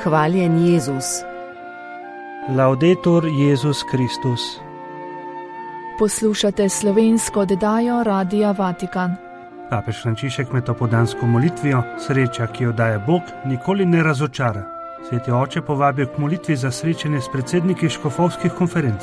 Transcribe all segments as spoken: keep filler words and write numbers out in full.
Hvaljen Jezus. Laudetur Jezus Kristus. Poslušate slovensko oddajo Radia Vatikan. Papež Frančišek med opoldansko molitvijo, sreča, ki jo daje Bog, nikoli ne razočara. Sveti oče povabijo k molitvi za srečanje s predsedniki škofovskih konferenc.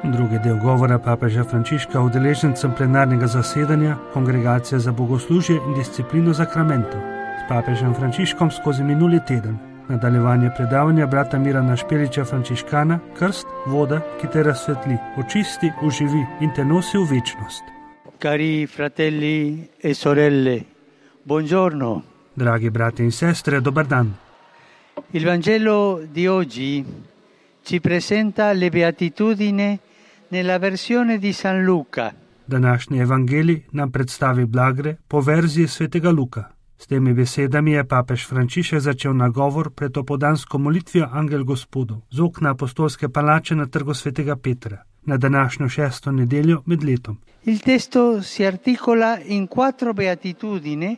Drugi del govora papeža Frančiška udeležencem plenarnega zasedanja Kongregacije za bogoslužje in disciplino zakramentov s papežem Frančiškom skozi minuli teden. Nadaljevanje predavanja brata Mirana Špeliča Frančiškana, Krst, voda, ki te razsvetli, očisti, oživi in te nosi v večnost. Cari fratelli e sorelle, buongiorno. Dragi brati in sestre, dober dan. Il Vangelo di oggi ci presenta le beatitudini nella versione di San Luca. Današnji evangelij nam predstavi blagre po verziji svetega Luka. S temi besedami je papež Frančišek začel nagovor pred opoldansko molitvijo Angel Gospodov z okna apostolske palače na trgu svetega Petra na današnjo šesto nedeljo med letom. Il testo si articola in quattro beatitudini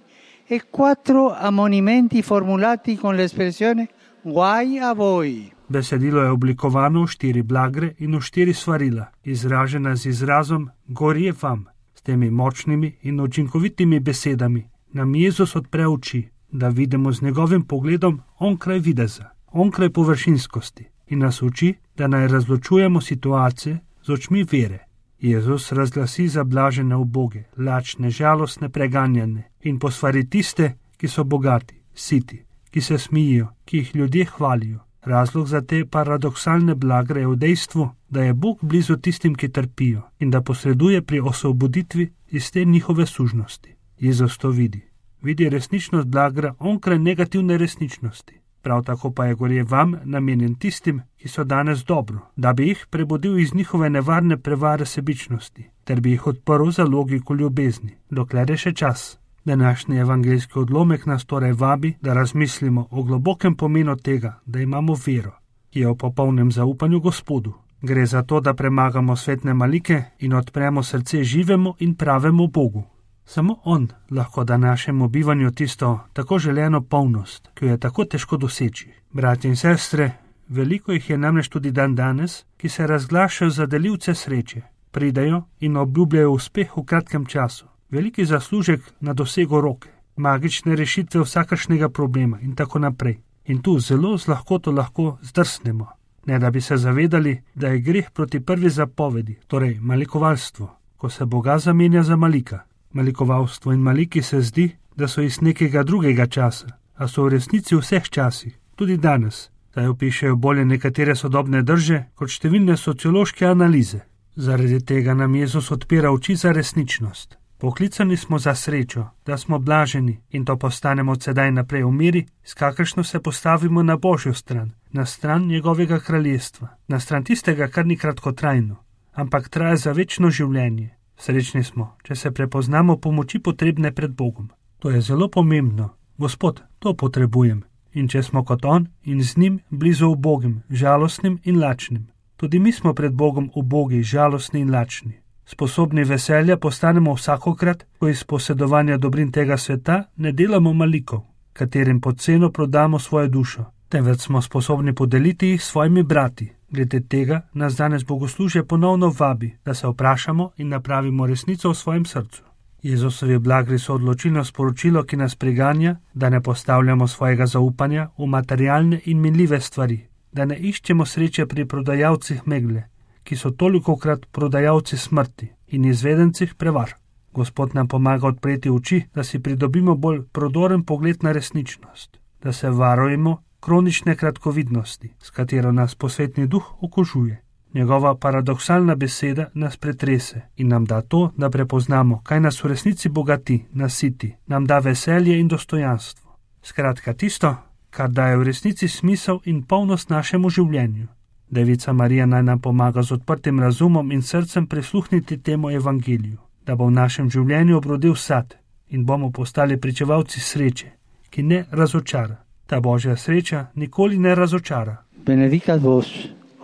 e quattro ammonimenti formulati con l'espressione guai a voi. Besedilo je oblikovano v štiri blagre in v štiri svarila, izražena z izrazom gorje vam. S temi močnimi in učinkovitimi besedami nam Jezus odpre oči, da vidimo z njegovim pogledom onkraj videza, onkraj površinskosti in nas uči, da naj razločujemo situacije z očmi vere. Jezus razglasi zablažene uboge, lačne, žalostne, preganjane in posvari tiste, ki so bogati, siti, ki se smijijo, ki jih ljudje hvalijo. Razlog za te paradoksalne blagre je v dejstvu, da je Bog blizu tistim, ki trpijo in da posreduje pri osvoboditvi iz te njihove sužnosti. Jezus to vidi. Vidi resničnost blagra onkraj negativne resničnosti. Prav tako pa je gorje vam namenjen tistim, ki so danes dobro, da bi jih prebudil iz njihove nevarne prevare sebičnosti, ter bi jih odprl za logiko ljubezni, dokler je še čas. Današnji evangeljski odlomek nas torej vabi, da razmislimo o globokem pomenu tega, da imamo vero, ki je v popolnem zaupanju Gospodu. Gre za to, da premagamo svetne malike in odpremo srce živemu in pravemu Bogu. Samo On lahko da našemu bivanju tisto tako želeno polnost, ki jo je tako težko doseči. Brati in sestre, veliko jih je namreč tudi dan danes, ki se razglašajo za delivce sreče, pridejo in obljubljajo uspeh v kratkem času, veliki zaslužek na dosego roke, magične rešitve vsakršnega problema in tako naprej. In tu zelo z lahkoto lahko zdrsnemo, ne da bi se zavedali, da je greh proti prvi zapovedi, torej malikovalstvo, ko se Boga zamenja za malika. Malikovalstvo in maliki se zdi, da so iz nekega drugega časa, a so v resnici v vseh časih, tudi danes, saj opišejo bolje nekatere sodobne drže kot številne sociološke analize. Zaradi tega nam Jezus odpira oči za resničnost. Poklicani smo za srečo, da smo blaženi in to postanemo od sedaj naprej v miri, s kakršno se postavimo na Božjo stran, na stran njegovega kraljestva, na stran tistega, kar ni kratkotrajno, ampak traja za večno življenje. Srečni smo, če se prepoznamo pomoči potrebne pred Bogom. To je zelo pomembno. Gospod, to potrebujem. In če smo kot On in z njim blizu ubogim, žalostnim in lačnim. Tudi mi smo pred Bogom ubogi, žalostni in lačni. Sposobni veselja postanemo vsakokrat, ko iz posedovanja dobrin tega sveta ne delamo malikov, katerim pod ceno prodamo svojo dušo, temveč smo sposobni podeliti jih svojimi brati. Glede tega nas danes bogoslužje ponovno vabi, da se vprašamo in napravimo resnico v svojem srcu. Jezusovi blagri so odločilno sporočilo, ki nas priganja, da ne postavljamo svojega zaupanja v materialne in minljive stvari, da ne iščemo sreče pri prodajalcih megle, ki so tolikokrat prodajalci smrti in izvedencih prevar. Gospod nam pomaga odpreti oči, da si pridobimo bolj prodoren pogled na resničnost, da se varujemo kronične kratkovidnosti, s katero nas posvetni duh okužuje. Njegova paradoksalna beseda nas pretrese in nam da to, da prepoznamo, kaj nas v resnici bogati, nasiti, nam da veselje in dostojanstvo. Skratka tisto, kar daje v resnici smisel in polnost našemu življenju. Devica Marija naj nam pomaga z odprtim razumom in srcem prisluhniti temu evangeliju, da bo v našem življenju obrodil sad in bomo postali pričevalci sreče, ki ne razočara. Ta Božja sreča nikoli ne razočara. Benedicat vos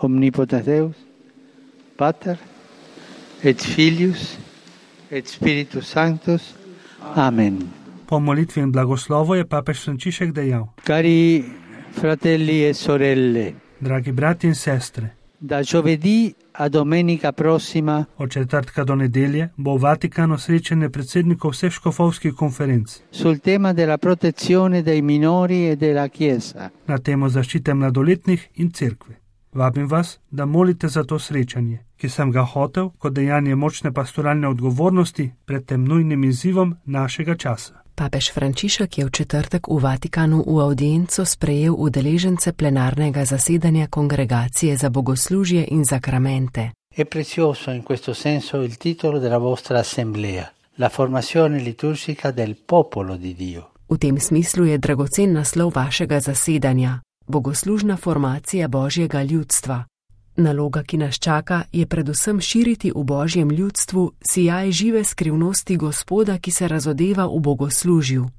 omnipotens Deus, Pater et Filius et Spiritus Sanctus. Amen. Po molitvi in blagoslovu je papež Frančišek dejal: Cari Fratelli e sorelle, Dragi brati in sestre, da giovedì a domenica prossima od četrtka do nedelje bo v Vatikanu srečanje predsednikov vseh škofovskih konferenc sul tema della protezione dei minori e della Chiesa. na temo zaščite mladoletnih in cerkve. Vabim vas, da molite za to srečanje, ki sem ga hotel kot dejanje močne pastoralne odgovornosti pred tem nujnim izzivom našega časa. Papež Frančišek je v četrtek v Vatikanu v avdienco sprejel udeležence plenarnega zasedanja Kongregacije za bogoslužje in zakramente. È prezioso in questo senso il titolo della vostra assemblea, la formazione liturgica del popolo di Dio. V tem smislu je dragocen naslov vašega zasedanja, bogoslužna formacija Božjega ljudstva. Naloga, ki nas čaka, je predvsem širiti v Božjem ljudstvu sijaj žive skrivnosti Gospoda, ki se razodeva v bogoslužju.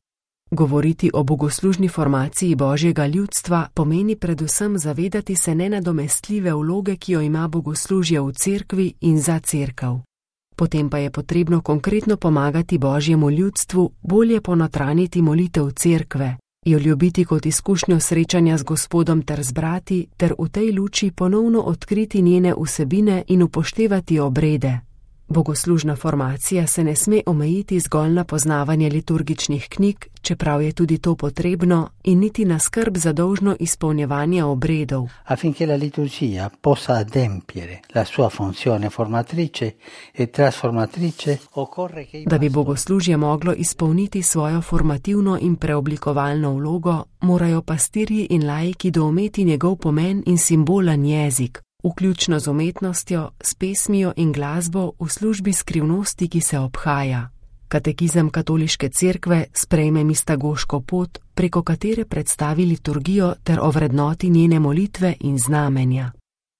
Govoriti o bogoslužni formaciji Božjega ljudstva pomeni predvsem zavedati se nenadomestljive vloge, ki jo ima bogoslužje v cerkvi in za cerkev. Potem pa je potrebno konkretno pomagati Božjemu ljudstvu bolje ponotraniti molitev cerkve, jo ljubiti kot izkušnjo srečanja z Gospodom ter z brati, ter v tej luči ponovno odkriti njene vsebine in upoštevati obrede. Bogoslužna formacija se ne sme omejiti zgolj na poznavanje liturgičnih knjig, čeprav je tudi to potrebno, in niti na skrb za dolžno izpolnjevanje obredov. Affinché la liturgia possa adempiere la sua funzione formatrice e trasformatrice, occorre che i Da bi bogoslužje moglo izpolniti svojo formativno in preoblikovalno vlogo, morajo pastirji in laiki doumeti njegov pomen in simbolen jezik, vključno z umetnostjo, s pesmijo in glasbo v službi skrivnosti, ki se obhaja. Katekizem katoliške cerkve sprejme mistagoško pot, preko katere predstavi liturgijo ter ovrednoti njene molitve in znamenja.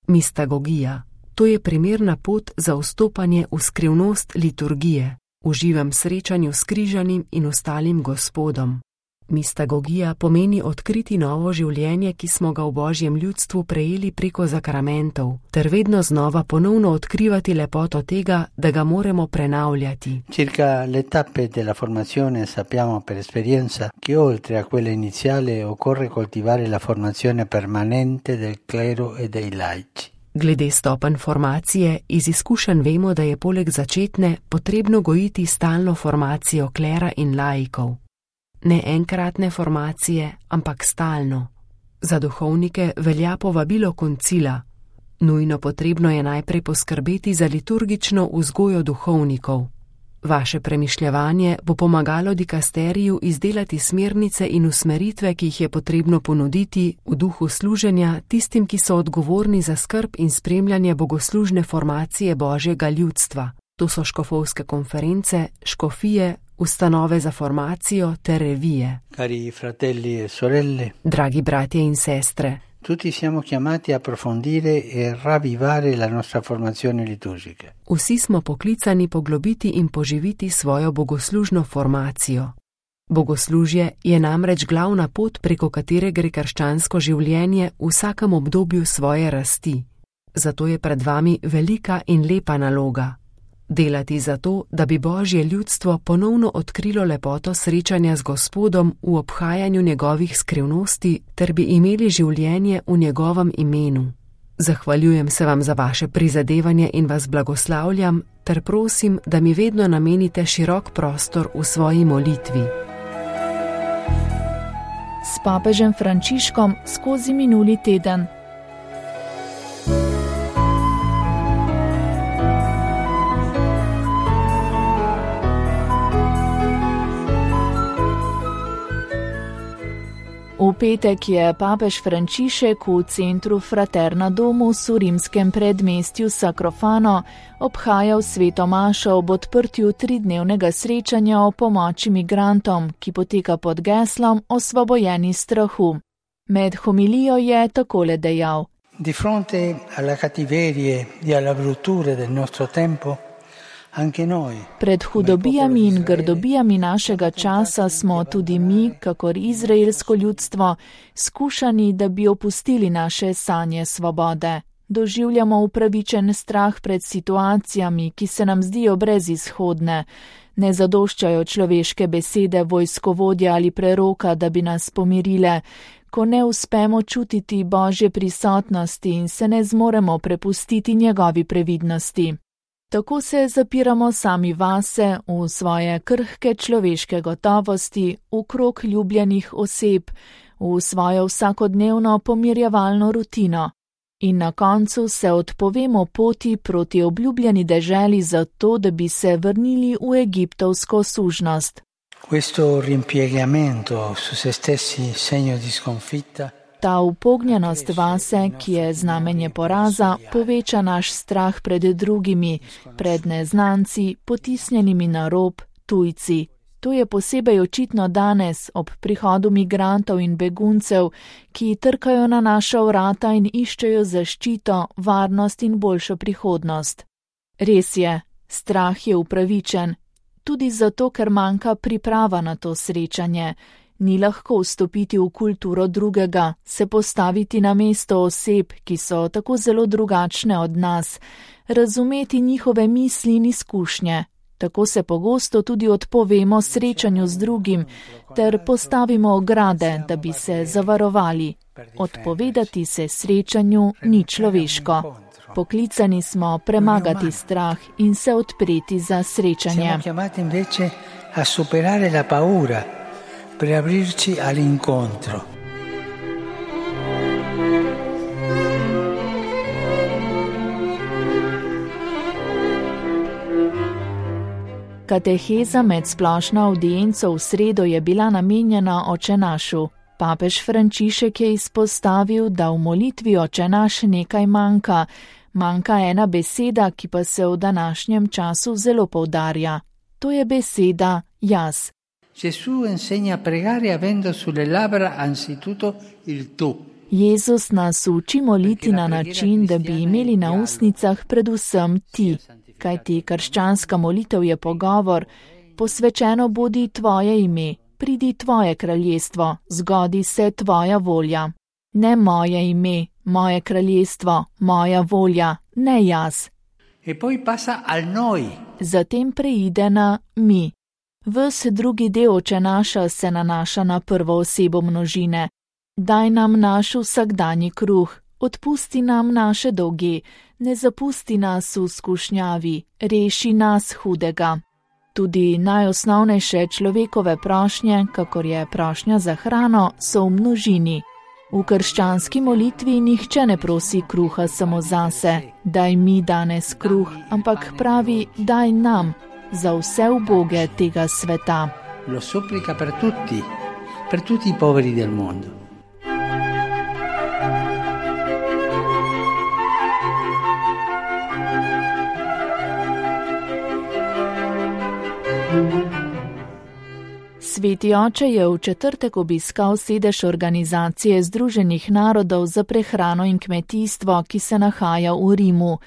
Mistagogija. To je primerna pot za vstopanje v skrivnost liturgije, v živem srečanju s križanim in ostalim Gospodom. Mistagogija pomeni odkriti novo življenje, ki smo ga v Božjem ljudstvu prejeli preko zakramentov, ter vedno znova ponovno odkrivati lepoto tega, da ga moramo prenavljati. Circa le tappe della formazione sappiamo per esperienza che oltre a quella iniziale occorre coltivare la formazione permanente del clero e dei laici. Glede stopenj formacije, iz izkušenj vemo, da je poleg začetne potrebno gojiti stalno formacijo klera in laikov. Ne enkratne formacije, ampak stalno. Za duhovnike velja povabilo koncila. Nujno potrebno je najprej poskrbeti za liturgično vzgojo duhovnikov. Vaše premišljevanje bo pomagalo dikasteriju izdelati smernice in usmeritve, ki jih je potrebno ponuditi v duhu služenja tistim, ki so odgovorni za skrb in spremljanje bogoslužne formacije Božjega ljudstva. To so škofovske konference, škofije, ustanove za formacijo ter revije. Cari fratelli e sorelle, Dragi bratje in sestre, tutti siamo chiamati a approfondire e ravvivare la nostra formazione liturgica. vsi smo poklicani poglobiti in poživiti svojo bogoslužno formacijo. Bogoslužje je namreč glavna pot, preko katere gre krščansko življenje v vsakem obdobju svoje rasti. Zato je pred vami velika in lepa naloga. Delati za to, da bi Božje ljudstvo ponovno odkrilo lepoto srečanja z Gospodom v obhajanju njegovih skrivnosti, ter bi imeli življenje v njegovem imenu. Zahvaljujem se vam za vaše prizadevanje in vas blagoslavljam, ter prosim, da mi vedno namenite širok prostor v svoji molitvi. S papežem Frančiškom skozi minuli teden. V petek je papež Frančišek v centru Fraterna Domus v rimskem predmestju Sacrofano obhajal sveto mašo ob odprtju tridnevnega srečanja o pomoči migrantom, ki poteka pod geslom Osvobojeni strahu. Med homilijo je takole dejal: Di fronte alla cattiverie e alla bruttura del nostro tempo, Pred hudobijami in grdobijami našega časa smo tudi mi, kakor izraelsko ljudstvo, skušani, da bi opustili naše sanje svobode. doživljamo upravičen strah pred situacijami, ki se nam zdijo brezizhodne. Ne zadoščajo človeške besede vojskovodja ali preroka, da bi nas pomirile, ko ne uspemo čutiti Božje prisotnosti in se ne zmoremo prepustiti njegovi previdnosti. Tako se zapiramo sami vase, v svoje krhke človeške gotovosti, v krog ljubljenih oseb, v svojo vsakodnevno pomirjevalno rutino. In na koncu se odpovemo poti proti obljubljeni deželi zato, da bi se vrnili v egiptovsko sužnost. Questo rimpiegamento su se stessi segno di sconfitta. Ta upognjenost vase, ki je znamenje poraza, poveča naš strah pred drugimi, pred neznanci, potisnjenimi na rob, tujci. To je posebej očitno danes, ob prihodu migrantov in beguncev, ki trkajo na naša vrata in iščejo zaščito, varnost in boljšo prihodnost. Res je, strah je upravičen, tudi zato, ker manjka priprava na to srečanje. Ni lahko vstopiti v kulturo drugega, se postaviti na mesto oseb, ki so tako zelo drugačne od nas, razumeti njihove misli in izkušnje. Tako se pogosto tudi odpovemo srečanju z drugim, ter postavimo ograde, da bi se zavarovali. Odpovedati se srečanju ni človeško. Poklicani smo premagati strah in se odpreti za srečanje. Siamo chiamati invece a superare la paura per aprirci all'incontro. Kateheza med splošno avdienco v sredo je bila namenjena Očenašu. Papež Frančišek je izpostavil, da v molitvi Očenaš nekaj manjka. Manjka ena beseda, ki pa se v današnjem času zelo poudarja. To je beseda jaz. Gesù insegna a pregare avendo sulle labbra anzitutto il tu. Jezus nas uči moliti na način, da bi imeli na ustnicah predvsem ti. Kajti krščanska molitev je pogovor, posvečeno bodi tvoje ime, pridi tvoje kraljestvo, zgodi se tvoja volja. Ne moje ime, moje kraljestvo, moja volja, ne jaz. E poi passa al noi. Zatem preide na mi. Ves drugi del Očenaša se nanaša na prvo osebo množine. Daj nam naš vsakdanji kruh, odpusti nam naše dolge, ne zapusti nas v skušnjavi, reši nas hudega. Tudi najosnovnejše človekove prošnje, kakor je prošnja za hrano, so v množini. V krščanski molitvi nihče ne prosi kruha samo zase, daj mi danes kruh, ampak pravi, daj nam, za vse uboge tega sveta. Lo supplica per tutti, per tutti i poveri del mondo. Sveti oče je v četrtek obiskal sedež Organizacije Združenih narodov za prehrano in kmetijstvo, ki se nahaja v Rimu.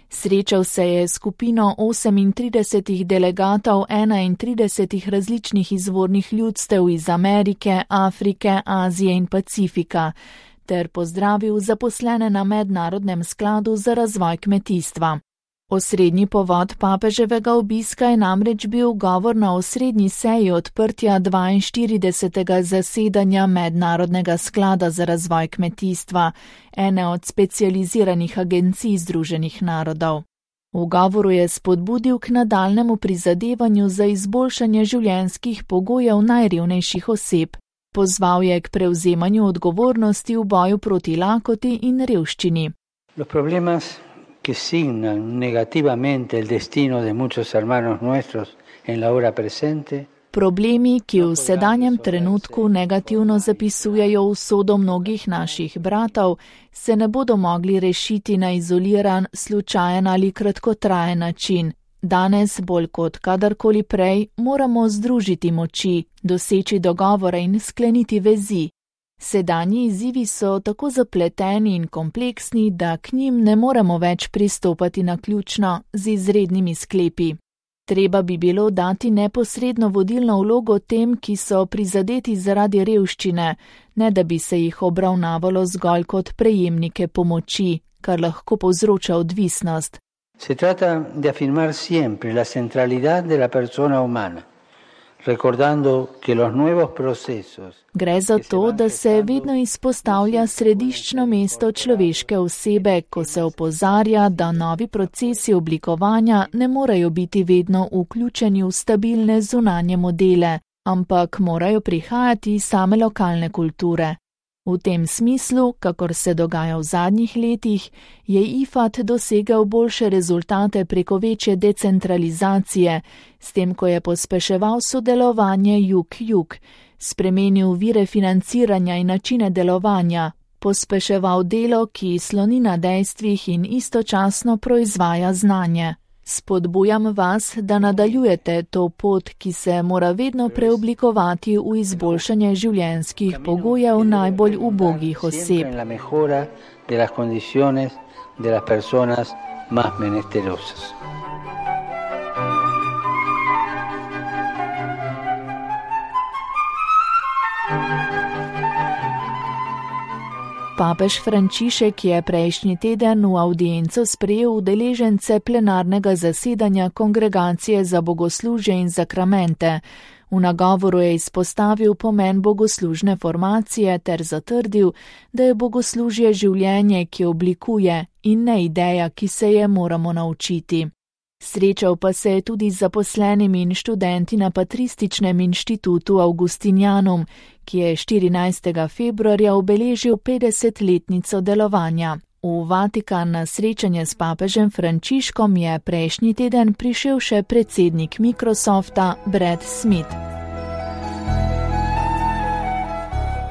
Srečal se je s skupino osemintridesetih delegatov enaintridesetih različnih izvornih ljudstev iz Amerike, Afrike, Azije in Pacifika, ter pozdravil zaposlene na Mednarodnem skladu za razvoj kmetijstva. Osrednji povod papeževega obiska je namreč bil govor na osrednji seji odprtja dvainštiridesetega zasedanja Mednarodnega sklada za razvoj kmetijstva, ene od specializiranih agencij Združenih narodov. V govoru je spodbudil k nadaljnemu prizadevanju za izboljšanje življenjskih pogojev najrevnejših oseb. Pozval je k prevzemanju odgovornosti v boju proti lakoti in revščini. Que signan negativamente el destino de muchos hermanos nuestros en la hora presente. Problemi, ki v sedanjem trenutku negativno zapisujejo usodo mnogih naših bratov, se ne bodo mogli rešiti na izoliran, slučajen ali kratkotrajen način. Danes, bolj kot kadarkoli prej, moramo združiti moči, doseči dogovore in skleniti vezi. Sedanji izzivi so tako zapleteni in kompleksni, da k njim ne moremo več pristopati naključno z izrednimi sklepi. Treba bi bilo dati neposredno vodilno vlogo tem, ki so prizadeti zaradi revščine, ne da bi se jih obravnavalo zgolj kot prejemnike pomoči, kar lahko povzroča odvisnost. Se trata de afirmar siempre la centralidad de la persona humana, recordando que los nuevos procesos. Gre za to, da se vedno izpostavlja središčno mesto človeške osebe, ko se opozarja, da novi procesi oblikovanja ne morejo biti vedno vključeni v stabilne zunanje modele, ampak morajo prihajati iz same lokalne kulture. V tem smislu, kakor se dogaja v zadnjih letih, je I F A D dosegel boljše rezultate preko večje decentralizacije, s tem, ko je pospeševal sodelovanje jug-jug, spremenil vire financiranja in načine delovanja, pospeševal delo, ki sloni na dejstvih in istočasno proizvaja znanje. Spodbujam vas, da nadaljujete to pot, ki se mora vedno preoblikovati v izboljšanje življenjskih pogojev najbolj ubogih oseb. Papež Frančišek je prejšnji teden v avdienco sprejel udeležence plenarnega zasedanja Kongregacije za bogoslužje in zakramente. V nagovoru je izpostavil pomen bogoslužne formacije ter zatrdil, da je bogoslužje življenje, ki oblikuje, in ne ideja, ki se je moramo naučiti. Srečal pa se je tudi z zaposlenimi in študenti na Patrističnem inštitutu Augustinianum, ki je štirinajstega februarja obeležil petdesetletnico delovanja. V Vatikan na srečanje s papežem Frančiškom je prejšnji teden prišel še predsednik Microsofta Brad Smith.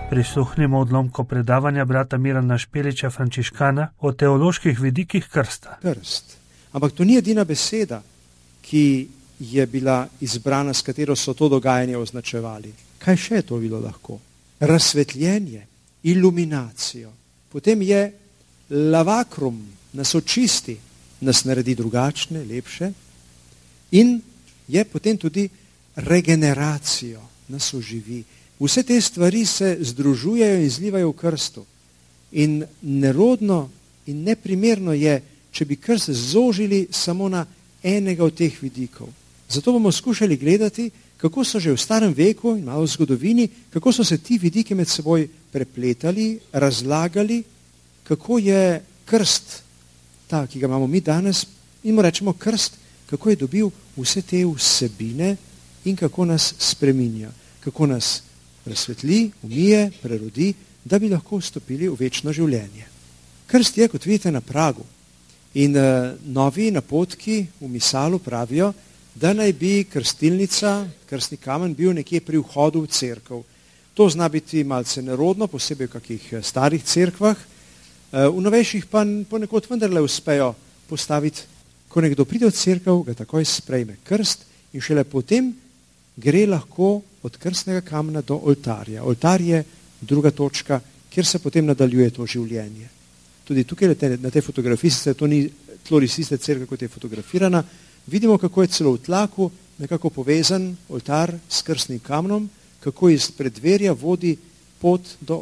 Prisluhnimo odlomko predavanja brata Mirana Špeliča Frančiškana o teoloških vidikih krsta. Krst. Ampak to ni edina beseda, ki je bila izbrana, s katero so to dogajanje označevali. Kaj še je to bilo lahko? Razsvetljenje, iluminacijo. Potem je lavakrum, nas očisti, nas naredi drugačne, lepše. In je potem tudi regeneracijo, nas oživi. Vse te stvari se združujejo in zlivajo v krstu. In nerodno in neprimerno je, če bi krst zožili samo na enega od teh vidikov. Zato bomo skušali gledati, kako so že v starem veku in malo v zgodovini, kako so se ti vidiki med seboj prepletali, razlagali, kako je krst, ta, ki ga imamo mi danes, in mu rečemo krst, kako je dobil vse te vsebine in kako nas spreminja, kako nas razsvetli, umije, prerodi, da bi lahko vstopili v večno življenje. Krst je, kot vidite, na pragu. In uh, novi napotki v misalu pravijo, da naj bi krstilnica, krstni kamen bil nekje pri vhodu v cerkev. To zna biti malce nerodno, posebej v kakih starih cerkvah. Uh, v novejših pa ponekod vendarle uspejo postaviti, ko nekdo pride v cerkev, ga takoj sprejme krst in šele potem gre lahko od krstnega kamna do oltarja. Oltar je druga točka, kjer se potem nadaljuje to življenje. Tudi tukaj na tej fotografiji, se to ni tlorisiste cerkve, kot je fotografirana, vidimo, kako je celo v tlaku nekako povezan oltar s krstnim kamnom, kako iz preddverja vodi pot do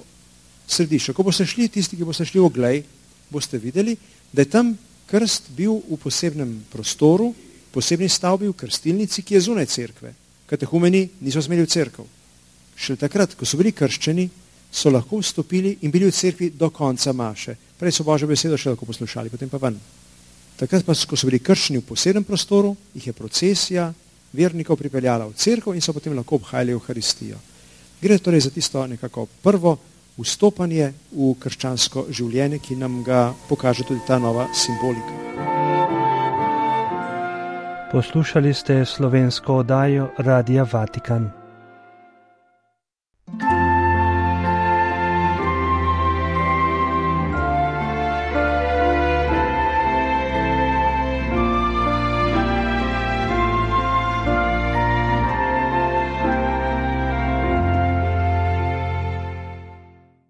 središča. Ko boste šli, tisti, ki boste šli v oglej, boste videli, da je tam krst bil v posebnem prostoru, posebni stavbi v krstilnici, ki je zunaj cerkve. Katehumeni niso smeli v cerkev. Šele takrat, ko so bili krščeni, so lahko vstopili in bili v cerkvi do konca maše. Prej so Božjo besedo še lahko poslušali, potem pa ven. Takrat pa, ko so bili krščeni v posebnem prostoru, jih je procesija vernikov pripeljala v cerkev in so potem lahko obhajali Evharistijo. Gre torej za tisto nekako prvo vstopanje v krščansko življenje, ki nam ga pokaže tudi ta nova simbolika. Poslušali ste slovensko oddajo Radia Vatikan.